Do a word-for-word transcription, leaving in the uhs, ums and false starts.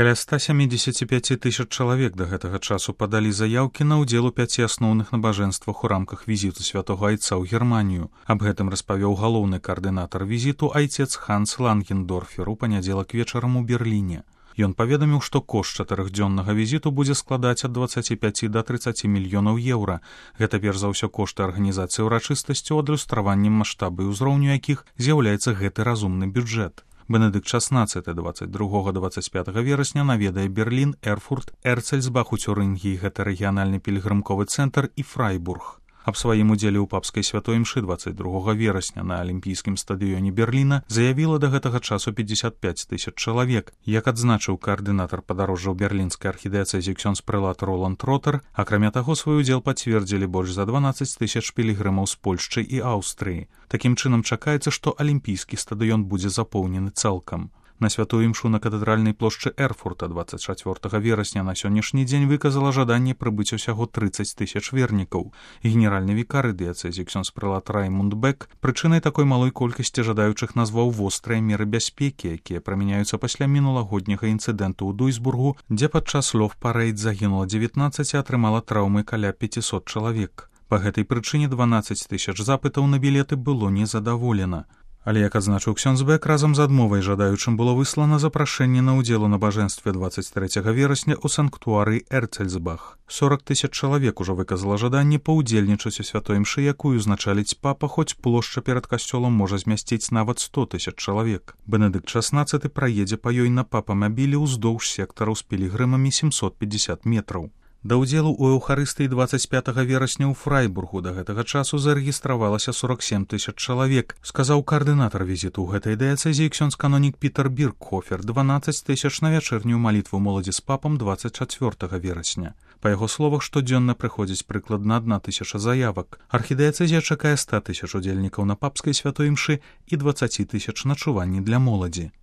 Каля ста сямідзесяці пяці тысяч чалавек да гэтага часу падалі заяўкі на ўдзел у пяці асноўных набажэнствах у рамках візіту святога айца ў Германію. Аб гэтым распавёў галоўны каардынатар візіту айцец Ханс Лангендорфер у панядзелак вечарам у Берліне. Ён паведаміў, што кошт чатырохдзённага візіту будзе складаць ад дваццаці пяці да трыццаці мільёнаў еўра. Гэта перш за ўсё кошты арганізацыі ўрачыстасцяў, адлюстраваннем маштабу і ўзроўню якіх з'яўляецца гэты разумны бюджэт. Бенедыкт шаснаццаты дваццаць другога да дваццаць пятага верасня наведае Берлін, Эрфурт, Эрцельсбах у Цюрынгіі, гэта рэгіянальны пільгрымковы цэнтр, і Фрайбург. Аб сваім удзеле ў папскай святой імшы дваццаць другога верасня на алімпійскім стадыёне Берліна заявіла да гэтага часу пятьдесят пять тысяч чалавек. Як адзначыў каардынатар падарожжаў берлінскай архідыяцэзіі ксёндз-прэлат Роланд Ротер, акрамя таго, свой удзел пацвердзілі больш за дванаццаць тысяч пілігрымаў з Польшчы і Аўстрыі. Такім чынам чакаецца, што алімпійскі стадыён будзе запоўнены цалкам. На святую імшу на катэдральнай плошчы Эрфурта дваццаць чацвёртага верасня на сённяшні дзень выказала жаданне прыбыць усяго трыццаць тысяч вернікаў. Генеральны вікар дыяцэзіі ксёндз-прэлат Раймунд Бек прычынай такой малой колькасці жадаючых назваў вострыя меры бяспекі, якія прымяняюцца пасля мінулагодняга інцыдэнту ў Дуйсбургу, дзе падчас лов-парэйд загінула дзевятнаццаць і атрымала траўмы каля пяцісот чалавек. Па гэтай прычыне дванаццаць тысяч запытаў на білеты было незадаволена. Але, як адзначыў ксёндз Бек, разам з адмовай жадаючым было выслана запрашэнне на ўдзел у набажэнстве дваццаць трэцяга верасня ў санктуарыі Эрцельсбах. сорак тысяч чалавек ужо выказала жаданне паўдзельнічаць у святой імшы, якую узначаліць папа, хоць плошча перад касцёлам можа змясціць нават сто тысяч чалавек. Бенедыкт шаснаццаты праедзе па ёй на папамабілі ўздоўж сектараў з пілігрымамі сямсот пятьдесят метраў. Да ўдзелу ў эўхарыстыі дваццаць пятага верасня ў Фрайбургу да гэтага часу зарэгістравалася сорок сем тысяч чалавек, сказаў каардынатар візіту ў гэтай дыяцэзіі ксёндз-канонік Пітер Биркхофер, дванаццаць тысяч на вячэрнюю малітву моладзі з папам дваццаць чацвёртага верасня. Па яго словах, штодзённа прыходзіць прыкладна адна тысяча заявак. Архідыяцэзія чакае ста тысяч удзельнікаў на папскай святой імшы і дваццаць тысяч начуванні для моладзі.